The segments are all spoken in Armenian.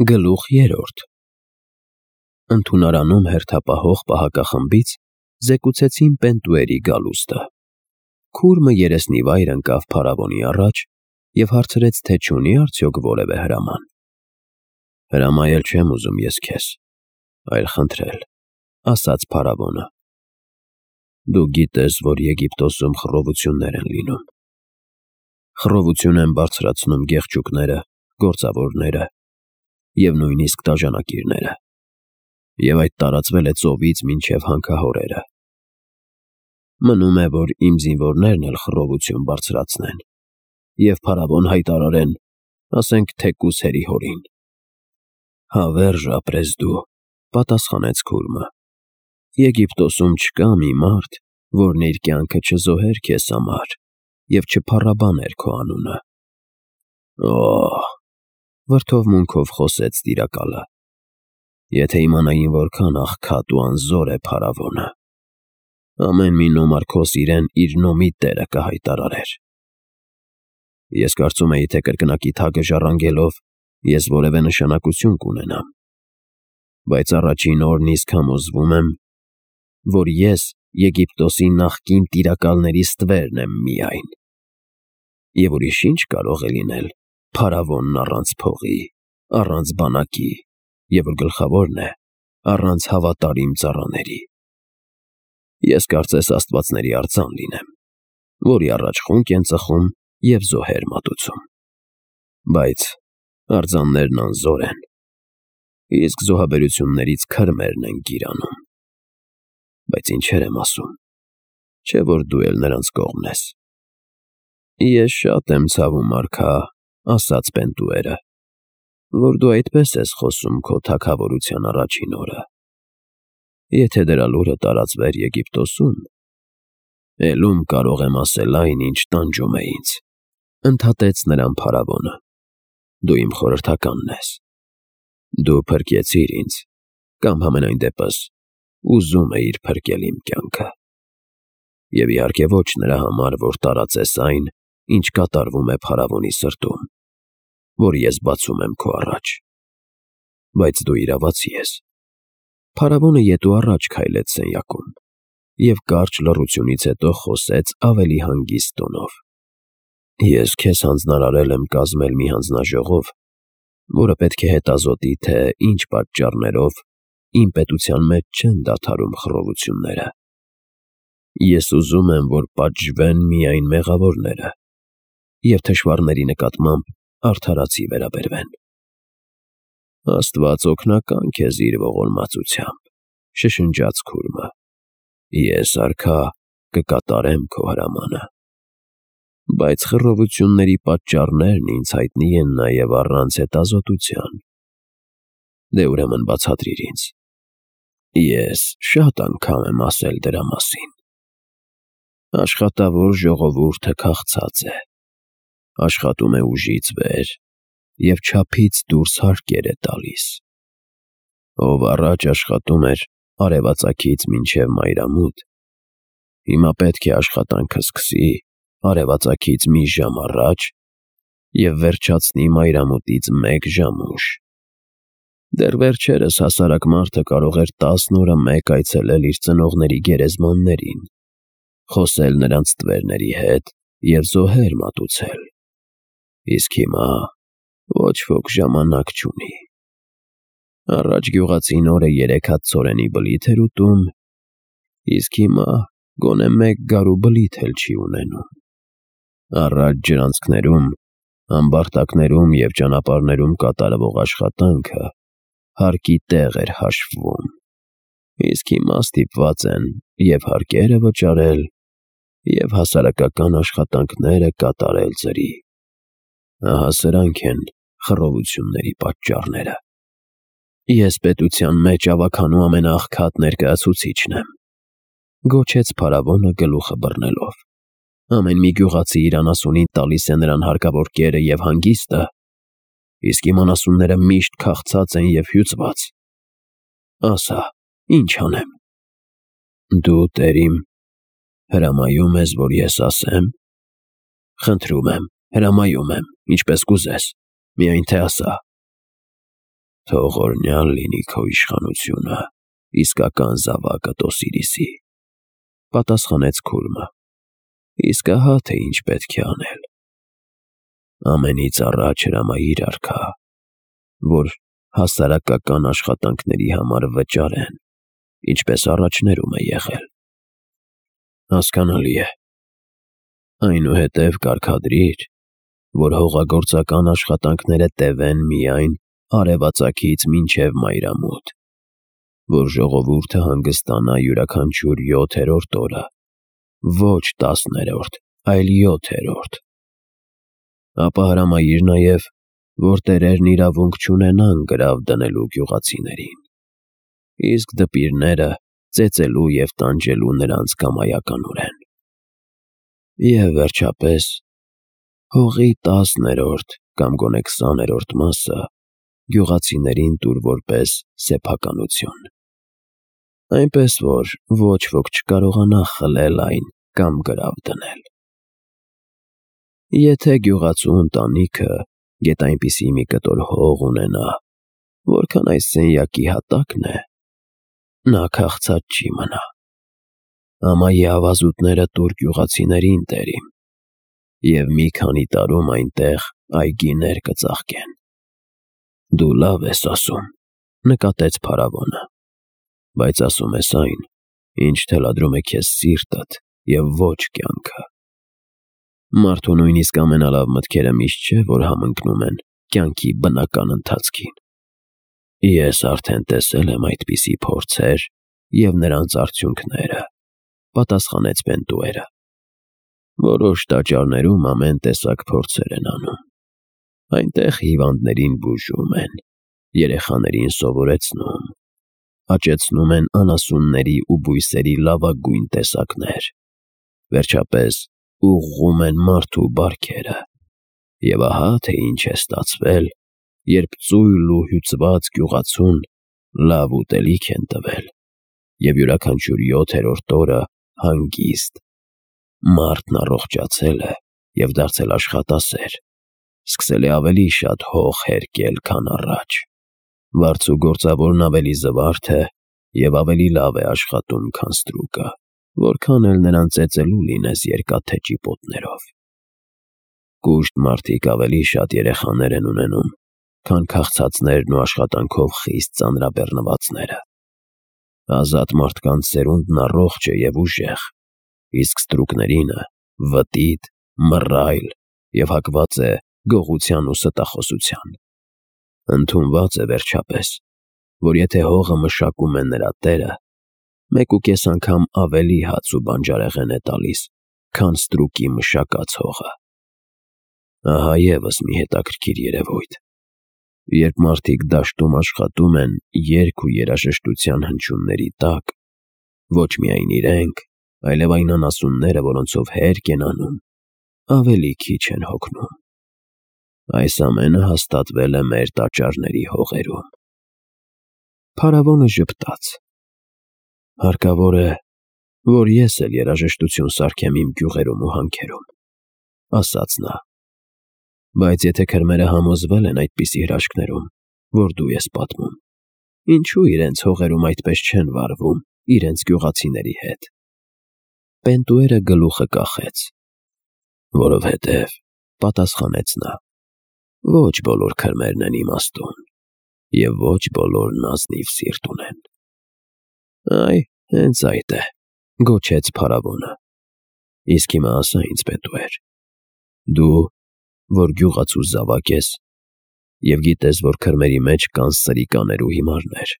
Գլուխ 3 Ընդունարանում հերթապահող պահակախմբից զեկուցեցին Պենտուերի գալուստը։ Քուրմը երեսնիվայր ընկավ փարավոնի առաջ և հարցրեց, թե չունի արդյոք որևէ հրաման։ «Հրամայել չեմ ուզում ես քեզ, այլ խնդրել», ասաց փարավոնը։ «Դու գիտես, որ Եգիպտոսում խռովություններ են լինում։ Խռովություն են բարձրացնում գեղջուկները, գործավորները և նույնիսկ տաժանակիրները, և այդ տարածվել է ծովից մինչև հանքահորերը։ Մնում է, որ իմ զինվորներն էլ խռովություն բարձրացնեն և փարավոն հայտարարեն, ասենք թեկուզ հերի հորին»։ «Հավերժ ապրես դու», պատասխանեց Քուրմը։ «Եգիպտոսում չկա մի մարդ, որն իր կյանքը չզոհեր քեզ համար և չփառաբաներ քո անունը»։ «Օ՜հ», վրդովմունքով խոսեց տիրակալը, «եթե իմանային որքան աղքատ ու անզոր է փարավոնը, ամեն մի նոմարքոս իրեն իր նոմի տերը կհայտարարեր։ Ես կարծում էի, թե կրկնակի թագը ժառանգելով ես որևէ նշանակություն կունենամ, բայց առաջին օրն իսկ համոզվում եմ, որ ես Եգիպտոսի նախկին տիրակալների ստվերն եմ միայն։ Եվ ուրիշ ի՞նչ կարող է լինել փարավոնն առանց փողի, առանց բանակի և, որ գլխավորն է, առանց հավատարիմ ծառաների։ Ես կարծես աստվածների արձան լինեմ, որի առաջ խունկ են ծխում և զոհեր մատուցում։ Բայց արձաններն անզոր են, իսկ զոհաբերություններից քրմերն են գիրանում։ Բայց ինչեր եմ ասում, չէ՞ որ դու էլ նրանց կողմն ես»։ «Ես շատ եմ ցավում, արքա», ասաց Պենտուերը, «որ դու այդպես ես խոսում քո թագավորության առաջին օրը։ Եթե դրա լուրը տարածվեր Եգիպտոսում, էլ ում կարող եմ ասել այն, ինչ տանջում է ինձ», ընդհատեց նրան փարավոնը։ «Դու իմ խորհրդականն ես։ Դու փրկեցիր ինձ, կամ համենայն դեպս ուզում էիր փրկել իմ կյանքը։ Եվ իհարկե ոչ նրա համար, որ տարածես այն, ինչ կատարվում է փարավոնի սրտում, որ ես բացում եմ քո առաջ։ Բայց դու իրավացի ես»։ Փարավոնը ետ ու առաջ քայլեց սենյակում և կարճ լռությունից հետո խոսեց ավելի հանգիստ տոնով. «Ես քեզ հանձնարարել եմ կազմել մի հանձնաժողով, որը պետք է հետազոտի, թե ինչ պատճառներով իմ պետության մեջ չեն դադարում խռովությունները։ Ես ուզում եմ, որ պատժվեն միայն մեղավորները և թշվառների նկատմամբ արդարացի վերաբերվեն»։ «Աստված օգնական քեզ իր ողորմածությամբ», շշնջաց Քուրմը։ «Ես, արքա, կկատարեմ քո հրամանը։ Բայց խռովությունների պատճառներն ինձ հայտնի են նաև առանց հետազոտության։ Դե ուրեմն բացատրիր ինձ։ Ես շատ անգամ եմ ասել դրա մասին։ Աշխատավոր ժողովուրդը քաղցած է, աշխատում է ուժից վեր և չափից դուրս հարկեր է տալիս։ Ով առաջ աշխատում էր արևածագից մինչև մայրամուտ, հիմա պետք է աշխատանքը սկսի արևածագից մի ժամ առաջ և վերջացնի մայրամուտից 1 ժամ ուշ։ Դեռ վերջերս հասարակ մարդը կարող էր 10 օրը մեկ այցելել իր ծնողների գերեզմաններին, խոսել նրանց ստվերների հետ և զոհեր մատուցել։ Իսկ հիմա ոչ ոք ժամանակ չունի։ Առաջ գյուղացին օրը 3 հատ ցորենի բլիթ էր ուտում, իսկ հիմա գոնե 1 գարու բլիթ էլ չի ունենում։ Առաջ ջրանցքներում, ամբարտակներում և ճանապարհներում կատարվող աշխատանքը հարկի տեղ էր հաշվվում, իսկ հիմա ստիպված են և հարկերը վճարել, և հասարակական աշխատանքները կատարել ձրի։ Ահա սրանք են խռովությունների պատճառները։ Ես պետության մեջ ավագանու ամենաաղքատ ներկայացուցիչն եմ», գոչեց փարավոնը գլուխը բռնելով։ «Ամեն մի գյուղացի իր անասունին տալիս է նրան հարկավոր կերը և հանգիստը, իսկ իմ անասունները միշտ քաղցած են և հյուծված։ Ասա, ի՞նչ անեմ»։ «Դու, տերիմ, հրամայում ես, որ ես ասեմ»։ «Խնդրում եմ, հրամայում եմ, ինչպես կուզես, միայն թե ասա»։ Թող օրհնյալ լինի քո իշխանությունը, իսկական զավակը Օսիրիսի, պատասխանեց Քուրմը։ Իսկ ահա թե ինչ պետք է անել։ Ամենից առաջ հրամայիր արքա, որ հասարակական աշխատանքների համար վճարեն, ինչպես առաջներում է եղել։ Հասկանալի է։ Այնուհետև կարգադրիր, որ հողագործական աշխատանքները տևեն միայն արևածագից մինչև մայրամուտ, որ ժողովուրդը հանգստանա յուրաքանչյուր 7-րդ օրը, ոչ 10-րդ, այլ 7-րդ։ Ապա հրամայիր նաև, որ տերերն իրավունք չունենան գրավ դնելու գյուղացիներին, իսկ դպիրները ծեծելու և տանջելու նրանց կամայականորեն։ Եվ վերջապես, հողի 10-րդ կամ գոնե 20-րդ մասը գյուղացիներին տուր որպես սեփականություն, այնպես որ ոչ ոք չկարողանա խլել այն կամ գրավ դնել։ Եթե գյուղացու ընտանիքը գեթ այնպիսի մի կտոր հող ունենա, որքան այս սենյակի հատակն է, նա քաղցած չի մնա։ Ամայի ավազուտները տուր գյուղացիներին, տերիմ, և մի քանի տարում այնտեղ այգիներ կծաղկեն։ Դու լավ ես ասում, նկատեց փարավոնը, բայց ասում ես այն, ինչ թելադրում է քեզ սիրտդ և ոչ կյանքը։ Մարդու նույնիսկ ամենալավ մտքերը միշտ չէ, որ համընկնում են կյանքի բնական ընթացքին։ Ես արդեն տեսել եմ այդպիսի փորձեր և նրանց արդյունքները, պատասխանեց Պենտուերը։ Որոշ տաճարներում ամեն տեսակ փորձեր են անում։ Այնտեղ հիվանդներին բուժում են, երեխաներին սովորեցնում, աճեցնում են անասունների ու բույսերի լավագույն տեսակներ, վերջապես ուղղում են մարդու բարքերը։ Եվ ահա թե ինչ է ստացվել, երբ ծույլ ու հյուծված գյուղացուն լավ ուտելիք են տվել, և յուրաքանչյուր 7-րդ օրը հանգիստ։ Մարդն առողջացել է և դարձել աշխատասեր, սկսել է ավելի շատ հող հերկել, քան առաջ։ Վարձու գործավորն ավելի զվարթ է և ավելի լավ է աշխատում, քան ստրուկը, որքան էլ նրան ծեծելու լինես երկաթե ճիպոտներով։ Կուշտ մարդիկ ավելի շատ երեխաներ են ունենում, քան քաղցածներն ու աշխատանքով խիստ ծանրաբեռնվածները։ Ազատ մարդկանց սերունդն առողջ է և ուժեղ, իսկ ստրուկներինը վտիտ, մռայլ և հակված է գողության ու ստախոսության։ Ընդունված է վերջապես, որ եթե հողը մշակում է նրա տերը, 1.5 անգամ ավելի հաց ու բանջարեղեն է տալիս, քան ստրուկի մշակած հողը։ Ահա ևս մի հետաքրքիր երևույթ։ Երբ մարդիկ դաշտում աշխատում են երկ ու երաժշտության հնչյունների տակ, ոչ միայն իրենք, այլև այն անասունները, որոնցով հերկ են անում, ավելի քիչ են հոգնում։ Այս ամենը հաստատվել է մեր տաճարների հողերում։ Փարավոնը ժպտաց։ Հարկավոր է, որ ես էլ երաժշտություն սարքեմ իմ գյուղերում ու հանքերում, ասաց նա։ Բայց եթե քրմերը համոզվել են այդպիսի հրաշքներում, որ դու ես պատմում, ինչու իրենց հողերում այդպես չեն վարվում իրենց գյուղացիների հետ։ Պենտուերը գլուխը կախեց։ Որովհետև, պատասխանեց նա, ոչ բոլոր քրմերն են իմաստուն, և ոչ բոլորն ազնիվ սիրտ ունեն։ Այ, հենց այդ է, գոչեց փարավոնը։ Իսկ հիմա ասա ինձ, Պենտուեր, դու, որ գյուղացու զավակ ես, և գիտես, որ քրմերի մեջ կան սրիկաներ ու հիմարներ,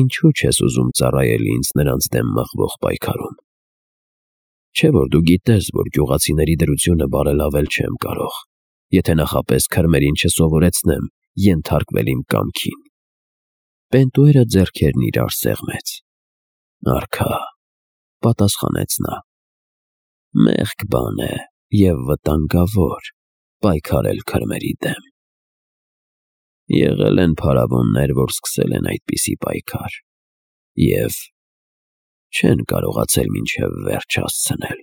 ինչու չես ուզում ծառայել ինձ նրանց դեմ մղվող պայքարում։ Չէ՞ որ դու գիտես, որ գյուղացիների դրությունը բարելավել չեմ կարող, եթե նախապես քրմերին չսովորեցնեմ ենթարկվել իմ կամքին։ Պենտուերը ձեռքերն իրար սեղմեց։ Արքա, պատասխանեց նա, մեղք բան է և վտանգավոր պայքարել քրմերի դեմ։ Եղել են փարավոններ, որ սկսել են այդպիսի պայքար և չեն կարողացել մինչև վերջ հասցնել։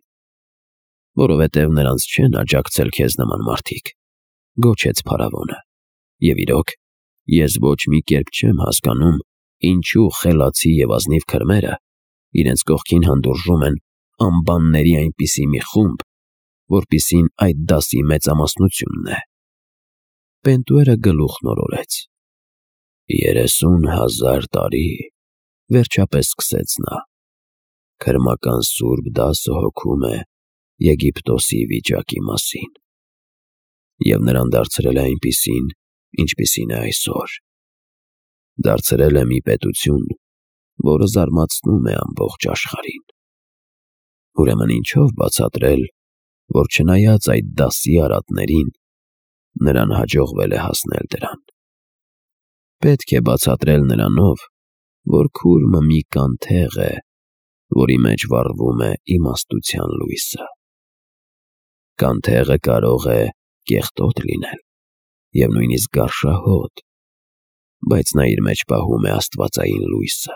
Որովհետև նրանց չեն աջակցել քեզ նման մարդիկ, գոչեց փարավոնը։ Եվ իրոք, Ես ոչ մի կերպ չեմ հասկանում, ինչու խելացի և ազնիվ քրմերը իրենց կողքին հանդուրժում են ամբանների այնպիսի մի խումբ, որպիսին այդ դասի մեծամասնությունն է։ Պենտուերը գլուխն օրորեց։ 30,000 տարի, վերջապես սկսեց նա։ Քրմական սուրբ դասը հոգում է Եգիպտոսի վիճակի մասին։ Եվ նրան դարձրել է այնպիսին, ինչպիսին է այսօր։ Դարձրել է մի պետություն, որը զարմացնում է ամբողջ աշխարհին։ Ուրեմն ինչով բացատրել, որ չնայած այդ դասի արատներին, նրան հաջողվել է հասնել դրան։ Պետք է բացատրել նրանով, որ քուրմը մի կանթեղ է, որի մեջ վառվում է իմաստության լույսը։ Կանթեղը կարող է կեղտոտ լինել և նույնիսկ գարշահոտ, բայց նա իր մեջ պահում է աստվածային լույսը,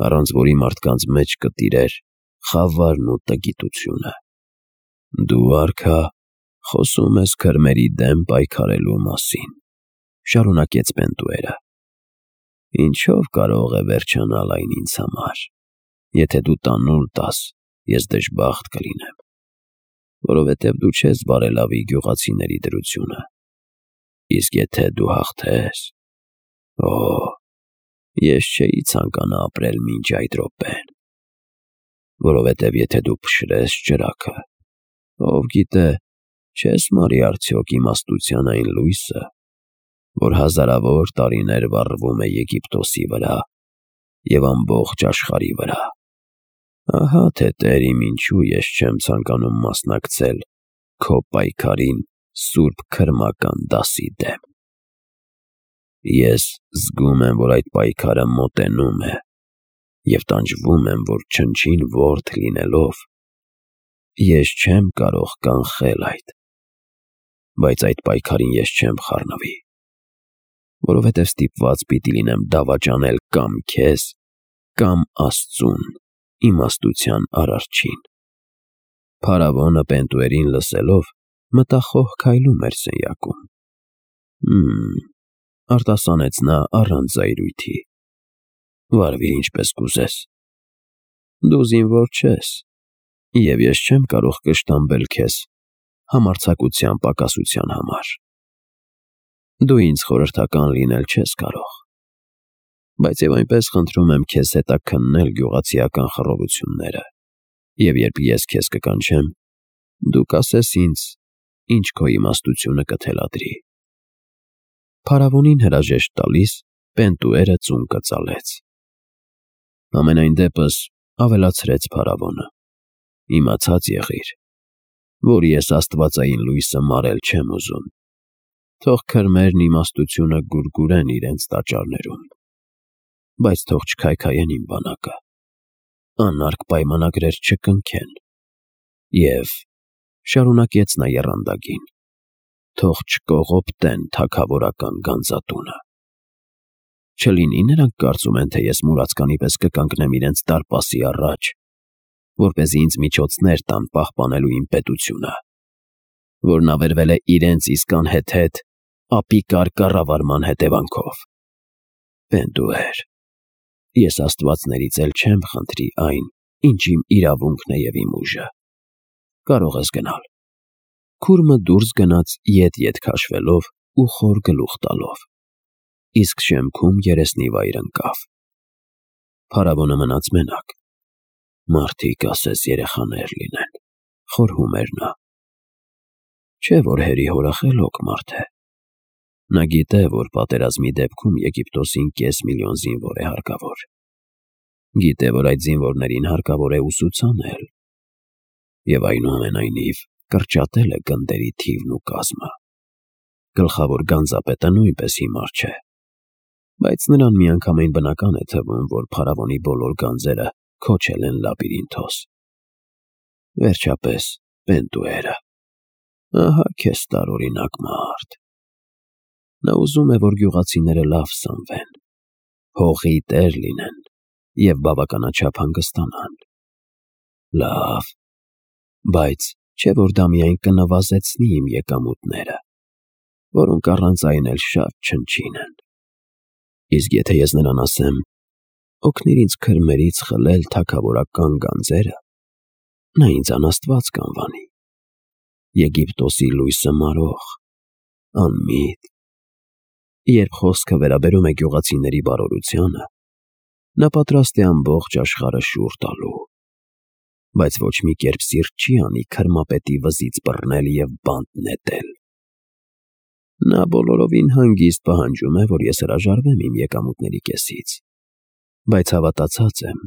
առանց որի մարդկանց մեջ կտիրեր խավարն ու տգիտությունը։ Դու, արքա, խոսում ես քրմերի դեմ պայքարելու մասին, շարունակեց Պենտուերը։ Ինչով կարող է վերջանալ այն ինձ համար, եթե դու տանուլ տաս, ես դժբախտ կլինեմ, որովհետև դու չես բարելավի գյուղացիների դրությունը, իսկ եթե դու հաղթես, ես չէի ցանկանա ապրել մինչ այդ րոպեն, որովհետև եթե դու փշրես ճրագը, ով գիտե, չես մարի արդյոք իմաստության այն լույսը, որ հազարավոր տարիներ վառվում է Եգիպտոսի վրա և ամբողջ աշխարհի վրա։ Ահա թե տեր իմ ինչու ես չեմ ցանկանում մասնակցել քո պայքարին սուրբ քրմական դասի դեմ։ Ես զգում եմ, որ այդ պայքարը մոտենում է և տանջվում եմ, որ չնչին որդի լինելով, ես չեմ կարող կանխել այդ, բայց այդ պայքարին ես չեմ խառնվի, որովհետև ստիպված պիտի լինեմ դավաճանել կամ քեզ, կամ Աստծուն, իմաստության Արարչին։ Փարավոնը Պենտուերին լսելով մտախոհ քայլում էր սենյակում։ Արտասանեց նա առանց զայրույթի։ Վարվիր ինչպես կուզես։ Դու զինվոր չես, և ես չեմ կարող կշտամբել քեզ համարձակության պակասության համար։ Դու ինձ խորհրդական լինել չես կարող, բայց և այնպես խնդրում եմ քեզ հետաքննել գյուղացիական խռովությունները, և երբ ես քեզ կկանչեմ, դու կասես ինձ, ինչ քո իմաստությունը կթելադրի։ Փարավոնին հրաժեշտ տալիս, Պենտուերը ծուն կծալեց։ Համենայն դեպս, ավելացրեց փարավոնը, իմացած եղիր, որ ես աստվածային լույսը մարել չեմ ուզում։ Թող քրմերն իմաստությունը գուրգուրեն իրենց տաճարներում, բայց թող չքայքայեն իմ բանակը, անարգ պայմանագրեր չկնքեն և, շարունակեց նա եռանդագին, թող չկողոպտեն թագավորական գանձատունը։ Չլինի նրանք կարծում են, թե ես մուրացկանի պես կկանգնեմ իրենց դարպասի առաջ, որպեսզի ինձ միջոցներ տան պահպանելու իմ պետությունը, որն ավերվել է իրենց իսկ անհեթեթ ապիկար կառավարման հետևանքով։ Պենտուեր, ես աստվածներից էլ չեմ խնդրի այն, ինչ իմ իրավունքն է և իմ ուժը։ Կարող ես գնալ։ Քուրմը դուրս գնաց ետ քաշվելով ու խոր գլուխ տալով, իսկ շեմքում երեսնի վայր ընկավ։ Փարավոնը մնաց մենակ։ Մարդիկ ասես երեխաներ լինեն, խորհում էր նա։ Չէ՞ որ հերի հորախելոք մարդ է։ Նա գիտե, որ պատերազմի դեպքում Եգիպտոսին կես միլիոն զինվոր է հարկավոր։ Գիտե, որ այդ զինվորներին հարկավոր է ուսուցանել և այնուամենայնիվ կրճատել է գնդերի թիվն ու կազմը։ Գլխավոր գանձապետը նույնպես հիմար չէ, բայց նրան միանգամայն բնական է թվում, որ փարավոնի բոլոր գանձերը քոչել են լաբիրինթոս։ Վերջապես, Պենտուերը, ահա քեզ տարօրինակ մարդ։ Նա ուզում է, որ գյուղացիները լավ սնվեն, հողի տեր լինեն և բավականաչափ հանգստանան։ Լավ, բայց չէ՞ որ դա միայն կնվազեցնի իմ եկամուտները, որոնք առանց այն էլ շատ չնչին են։ Իսկ եթե ես նրան ասեմ, օգնիր ինձ քրմերից խլել թագավորական գանձերը, նա ինձ անաստված կանվանի, Եգիպտոսի լույսը մարող, անմիտ։ Երբ խոսքը վերաբերում է գյուղացիների բարօրությանը, նա պատրաստ է ամբողջ աշխարհը շուռ տալու, բայց ոչ մի կերպ սիրտ չի անի քրմապետի վզից բռնել և բանտ նետել։ Նա բոլորովին հանգիստ պահանջում է, որ ես հրաժարվեմ իմ եկամուտների կեսից, բայց հավատացած եմ,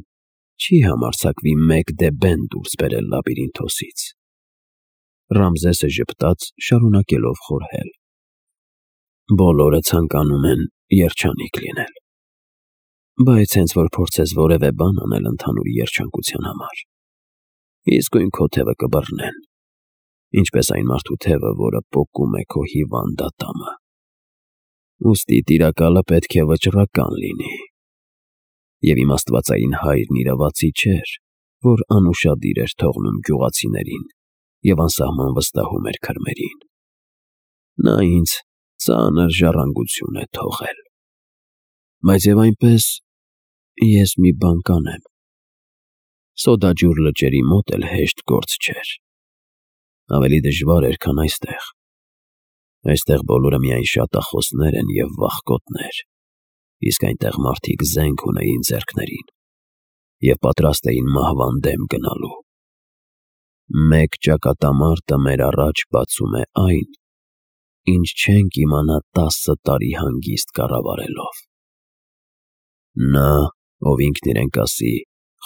չի համարձակվի մեկ դեբեն դուրս բերել լաբիրինթոսից։ Ռամզեսը ժպտաց, շարունակելով խորհել. Բոլորը ցանկանում են երջանիկ լինել, բայց հենց որ փորձես որևէ բան անել ընդհանուր երջանկության համար, իսկույն քո թևը կբռնեն, ինչպես այն մարդու թևը, որը պոկում է քո հիվանդ ատամը։ Ուստի տիրակալը պետք է վճռական լինի, և իմ աստվածային հայրն իրավացի չէր, որ անուշադիր էր թողնում գյուղացիներին և անսահման վստահում էր քրմերին։ Նա ինձ ծանր ժառանգություն է թողել։ Բայց և այնպես ես մի բան կանեմ. Սոդաջուր լճերի մոտ էլ հեշտ գործ չէր։ Ավելի դժվար էր, քան այստեղ։ Այստեղ բոլորը միայն շատախոսներ են և վախկոտներ, իսկ այնտեղ մարդիկ զենք ունեին ձեռքներին և պատրաստ էին մահվան դեմ գնալու։ Մեկ ճակատամարտը մեր առաջ բացում է այն, ինչ չենք իմանա 10 տարի հանգիստ կառավարելով։ Նա, ով ինքն իրեն կասի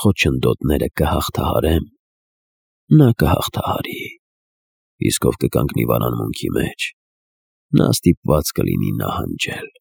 խոչընդոտները կհաղթահարեմ, նա կհաղթահարի, իսկ ով կկանգնի վարանմունքի մեջ, նա ստիպված կլինի նահանջել։